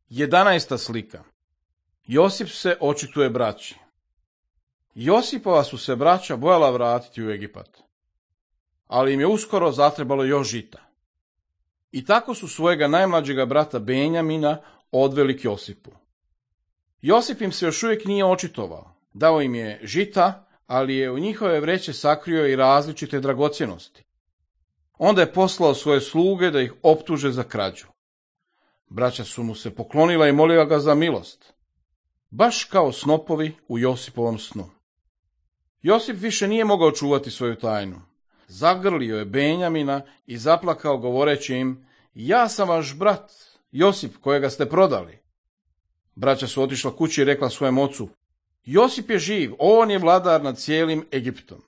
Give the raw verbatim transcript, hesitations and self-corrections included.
Jedanaesta slika. Josip se očituje braći. Josipova su se braća bojala vratiti u Egipat, ali im je uskoro zatrebalo još žita. I tako su svojega najmlađega brata Benjamina odveli k Josipu. Josip im se još uvijek nije očitovao, dao im je žita, ali je u njihove vreće sakrio i različite dragocjenosti. Onda je poslao svoje sluge da ih optuže za krađu. Braća su mu se poklonila i molila ga za milost, baš kao snopovi u Josipovom snu. Josip više nije mogao čuvati svoju tajnu. Zagrlio je Benjamina i zaplakao govoreći im: ja sam vaš brat, Josip, kojega ste prodali. Braća su otišla kući i rekla svojem ocu: Josip je živ, on je vladar nad cijelim Egiptom.